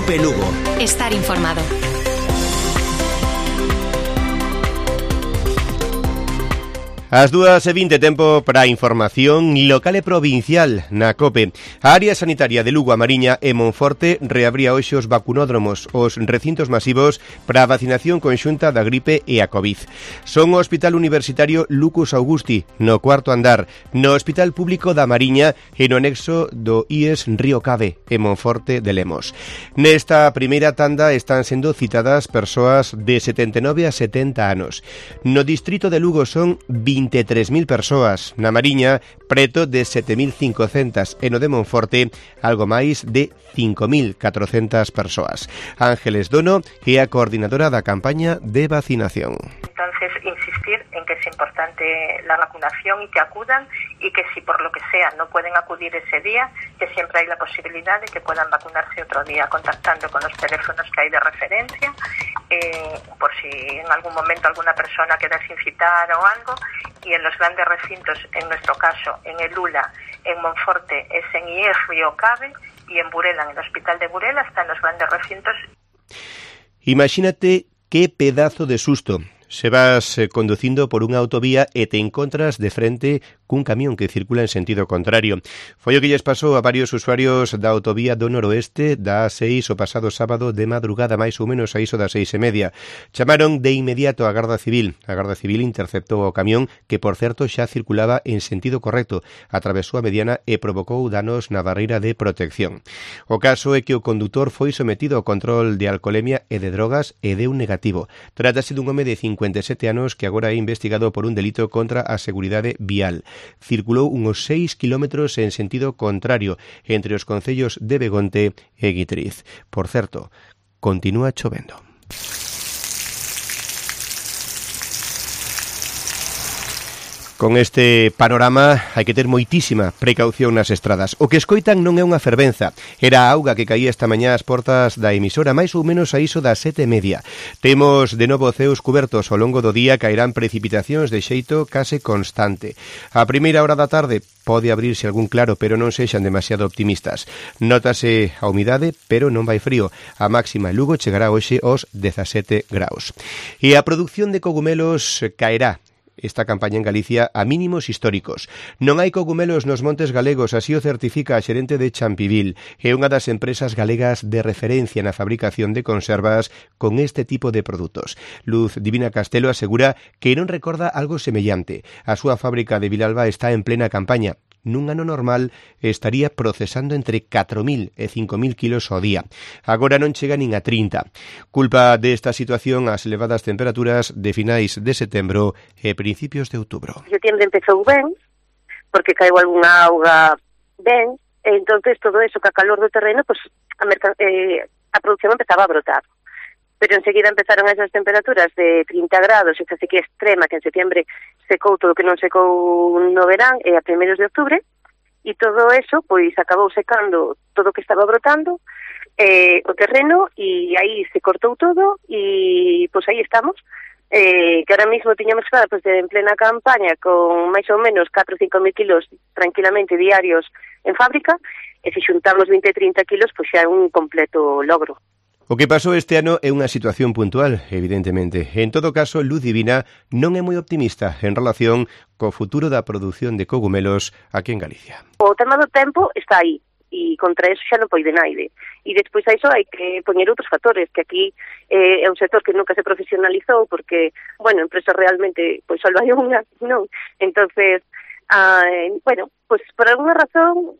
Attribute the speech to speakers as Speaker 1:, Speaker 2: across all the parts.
Speaker 1: COPE Lugo.
Speaker 2: Estar informado.
Speaker 3: As 2:20, tempo para a información local e provincial na COPE. A área sanitaria de Lugo, A Mariña e Monforte reabría hoxe os vacunódromos, os recintos masivos para a vacinación conxunta da gripe e a COVID. Son o Hospital Universitario Lucus Augusti, no 4º andar, no Hospital Público da Mariña e no anexo do IES Río Cave, e Monforte de Lemos. Nesta primeira tanda están sendo citadas persoas de 79 a 70 anos. No distrito de Lugo son 23.000 persoas, na Mariña preto de 7.500 e no de Monforte algo máis de 5.400 persoas. Ángeles Dono é a coordinadora da campaña de vacinación.
Speaker 4: Entonces, insistir en que es importante la vacunación y que acudan, y que si por lo que sea no pueden acudir ese día, que siempre hay la posibilidad de que puedan vacunarse otro día, contactando con los teléfonos que hay de referencia, por si en algún momento alguna persona queda sin citar o algo. Y en los grandes recintos, en nuestro caso, en el ULA, en Monforte, es en IES Río Cave, y en Burela, en el Hospital de Burela, están los grandes recintos.
Speaker 3: Imagínate qué pedazo de susto. Se vas conducindo por unha autovía e te encontras de frente cun camión que circula en sentido contrario. Foi o que lles pasou a varios usuarios da autovía do noroeste da A6 o pasado sábado de madrugada, máis ou menos a iso das 6:30. Chamaron de inmediato a Garda Civil. A Garda Civil interceptou o camión, que por certo xa circulaba en sentido correcto, atravesou a mediana e provocou danos na barreira de protección. O caso é que o condutor foi sometido ao control de alcolemia e de drogas e deu negativo. Trátase dun home de 57 anos que agora é investigado por un delito contra a seguridade vial. Circulou uns 6 kilómetros en sentido contrario entre os concellos de Begonte e Guitriz. Por certo, continúa chovendo. Con este panorama hai que ter moitísima precaución nas estradas. O que escoitan non é unha fervenza. Era a auga que caía esta mañá ás portas da emisora, máis ou menos a iso das 7:30. Temos de novo ceos cubertos. Ao longo do día caerán precipitacións de xeito case constante. A primeira hora da tarde pode abrirse algún claro, pero non sexan demasiado optimistas. Nótase a humidade, pero non vai frío. A máxima en Lugo chegará hoxe aos 17 graus. E a produción de cogumelos caerá esta campaña en Galicia a mínimos históricos. Non hai cogumelos nos montes galegos, así o certifica a xerente de Champivil, é unha das empresas galegas de referencia na fabricación de conservas con este tipo de produtos. Luz Divina Castelo asegura que non recorda algo semellante. A súa fábrica de Vilalba está en plena campaña. Nun ano normal estaría procesando entre 4.000 e 5.000 kilos ao día. Agora non chega nin a 30. Culpa desta situación as elevadas temperaturas de finais de setembro e principios de outubro.
Speaker 4: Setembro empezou ben, porque caeu algunha auga ben, e entonces todo eso, que a calor do terreno, pues, a produción empezaba a brotar. Pero enseguida empezaron esas temperaturas de 30 grados, esa sequía extrema que en setembro secou todo o que non secou no verán e a primeiros de outubro, e todo eso pois acabou secando todo o que estaba brotando o terreno, e aí se cortou todo, e pois aí estamos, que ahora mismo tiñamos claro, pois en plena campaña con máis ou menos 4 ou 5.000 kilos tranquilamente diarios en fábrica, e se xuntamos 20 e 30 kilos, pois xa é un completo logro.
Speaker 3: O que pasou este ano é unha situación puntual, evidentemente. En todo caso, Luz Divina non é moi optimista en relación co futuro da produción de cogumelos aquí en Galicia.
Speaker 4: O tema do tempo está aí, e contra eso xa non poide naide. E despois a iso hai que poñer outros factores, que aquí é un sector que nunca se profesionalizou, porque, bueno, empresas realmente, pois só hai unha, non? Entonces, bueno, pues por alguna razón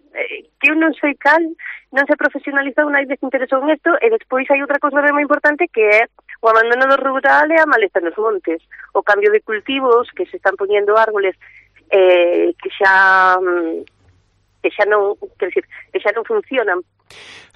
Speaker 4: que eu non sei cal, non se profesionalizou, nadie se interesou en isto, e despois hai outra cousa moi importante, que é o abandono do rural e a maleza nos montes, o cambio de cultivos, que se están poñendo árboles que xa non, quer dizer, que xa non funcionan.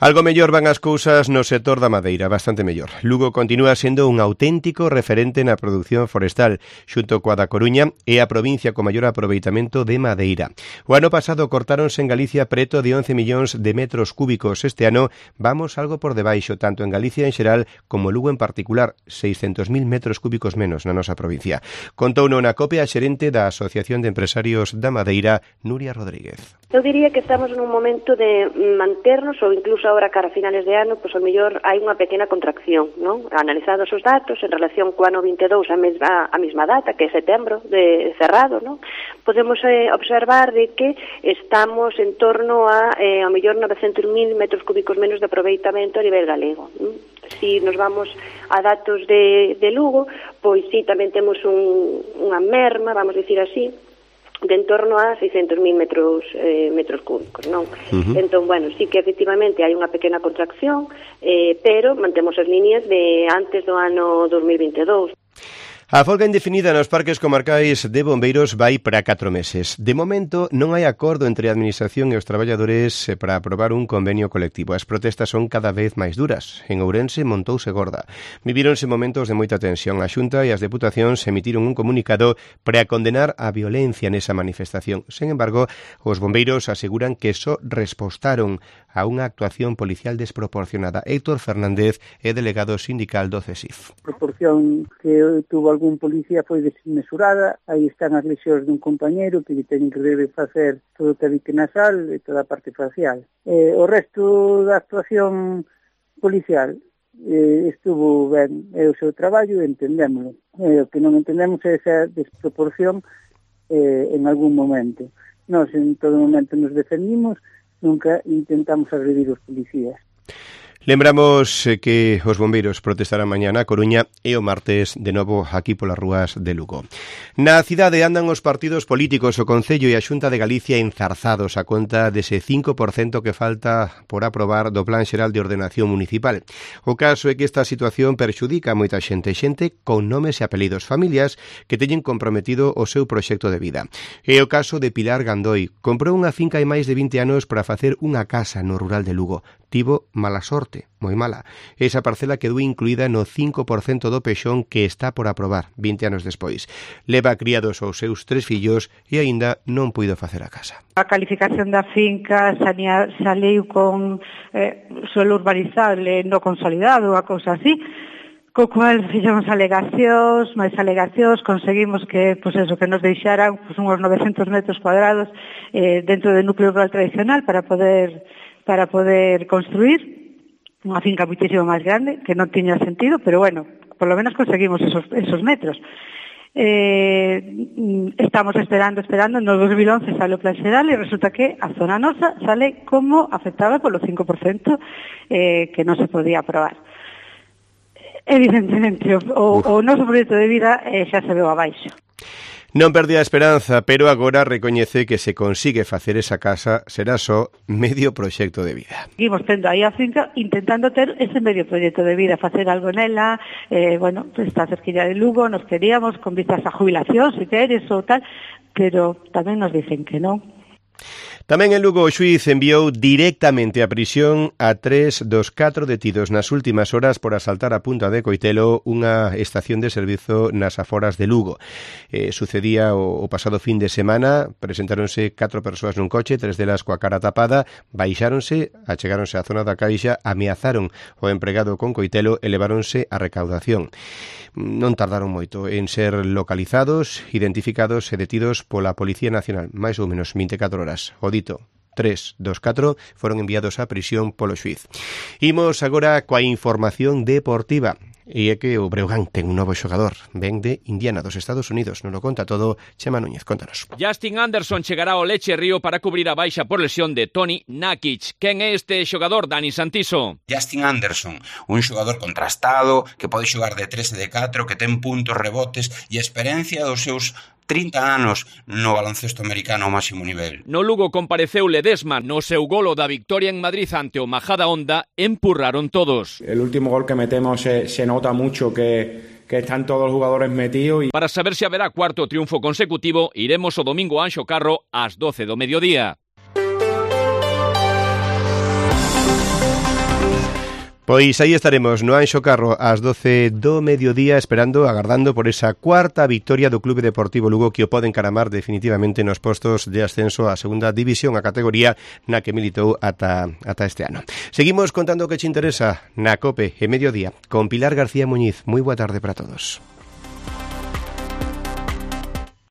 Speaker 3: Algo mellor van as cousas no sector da madeira, bastante mellor. Lugo continúa sendo un auténtico referente na produción forestal, xunto coa da Coruña e a provincia con maior aproveitamento de madeira. O ano pasado cortáronse en Galicia preto de 11 millóns de metros cúbicos. Este ano vamos algo por debaixo, tanto en Galicia en xeral como Lugo en particular, 600.000 metros cúbicos menos na nosa provincia. Contouno na COPE a xerente da Asociación de Empresarios da Madeira, Nuria Rodríguez.
Speaker 1: Eu diría que estamos nun momento de manternos, ou incluso agora cara a finales de ano, pois ao mellor hai unha pequena contracción, non? Analizados os datos en relación co ano 22 a mesma data, que é setembro de cerrado, non? Podemos observar de que estamos en torno a ao mellor 900.000 metros cúbicos menos de aproveitamento a nivel galego, non? Si nos vamos a datos de Lugo, pois sí, tamén temos unha merma, vamos dicir así, de en torno a 600.000 metros cúbicos, non? Entón, bueno, sí que efectivamente hai unha pequena contracción, pero mantemos as líneas de antes do ano 2022.
Speaker 3: A folga indefinida nos parques comarcais de bombeiros vai para 4 meses. De momento, non hai acordo entre a Administración e os traballadores para aprobar un convenio colectivo. As protestas son cada vez máis duras. En Ourense montouse gorda. Vivíronse momentos de moita tensión. A Xunta e as Deputacións emitiron un comunicado para condenar a violencia nesa manifestación. Sen embargo, os bombeiros aseguran que só respostaron a unha actuación policial desproporcionada. Héctor Fernández é delegado sindical do CESIF.
Speaker 2: A proporción que tuvo algún policía foi desmesurada, aí están as lesións dun compañeiro que teñen que facer todo o tabique nasal e toda a parte facial. O resto da actuación policial estuvo ben, é o seu traballo, entendémoslo. O que non entendemos é esa desproporción en algún momento. Nós en todo momento nos defendimos, nunca intentamos agredir os policías.
Speaker 3: Lembramos que os bombeiros protestarán mañá na Coruña e o martes de novo aquí polas rúas de Lugo. Na cidade andan os partidos políticos, o Concello e a Xunta de Galicia enzarzados a conta dese 5% que falta por aprobar do Plan Xeral de Ordenación Municipal. O caso é que esta situación perxudica a moita xente con nomes e apelidos, familias que teñen comprometido o seu proxecto de vida. É o caso de Pilar Gandoi. Comprou unha finca hai máis de 20 anos para facer unha casa no rural de Lugo. Tivo mala sorte, moi mala. Esa parcela quedou incluída no 5% do pexón que está por aprobar 20 anos despois. Leva criados os seus 3 fillos e aínda non puido facer a casa.
Speaker 5: A calificación da finca saliu con suelo urbanizable no consolidado, a cousa así. Co cual fixemos alegacións, conseguimos que, pues eso, que nos deixaran pues, uns 900 metros cuadrados dentro do núcleo rural tradicional para poder construir unha finca muitísimo máis grande, que non tiña sentido, pero bueno, por lo menos conseguimos esos metros. Estamos esperando, no 2011 sale o Plan Xeral e resulta que a zona nosa sale como afectada polo 5% que non se podía aprobar. Evidentemente, o noso proxecto de vida xa se veu abaixo.
Speaker 3: Non perdía a esperanza, pero agora recoñece que se consigue facer esa casa será só medio proxecto de vida.
Speaker 5: Seguimos tendo aí a finca intentando ter ese medio proxecto de vida, facer algo nela, bueno, está cerquilla de Lugo, nos queríamos con vistas a jubilación, se queres ou tal, pero tamén nos dicen que non.
Speaker 3: Tamén en Lugo o xuíz enviou directamente a prisión a 3 dos 4 detidos nas últimas horas por asaltar a Punta de Coitelo, unha estación de servizo nas aforas de Lugo. Sucedía o pasado fin de semana, presentáronse 4 persoas nun coche, 3 delas coa cara tapada, baixáronse, achegáronse á zona da caixa, ameazaron o empregado con Coitelo e leváronse a recaudación. Non tardaron moito en ser localizados, identificados e detidos pola Policía Nacional, máis ou menos 24 horas. O dito, 3 dos 4 foron enviados á prisión polo xuíz. Imos agora coa información deportiva. E é que o Breogán ten un novo xogador, ven de Indiana, dos Estados Unidos. Nos lo conta todo Chema Núñez, contanos.
Speaker 6: Justin Anderson chegará ao Leche Río para cubrir a baixa por lesión de Toni Nakic. Quen é este xogador, Dani Santiso?
Speaker 7: Justin Anderson, un xogador contrastado, que pode xogar de 3 e de 4, que ten puntos, rebotes e experiencia dos seus 30 anos no baloncesto americano ao máximo nivel.
Speaker 6: No Lugo compareceu Ledesma, no seu golo da victoria en Madrid ante o Majadahonda, empurraron todos.
Speaker 8: El último gol que metemos se nota mucho que están todos los jugadores metidos.
Speaker 6: Para saber se haberá cuarto triunfo consecutivo, iremos o domingo a Anxo Carro ás 12 do mediodía.
Speaker 3: Pois aí estaremos no Anxo Carro ás 12 do mediodía agardando por esa cuarta victoria do Clube Deportivo Lugo que o pode encaramar definitivamente nos postos de ascenso á segunda división, a categoría na que militou ata este ano. Seguimos contando o que che interesa na COPE e mediodía con Pilar García Muñiz. Moi boa tarde para todos.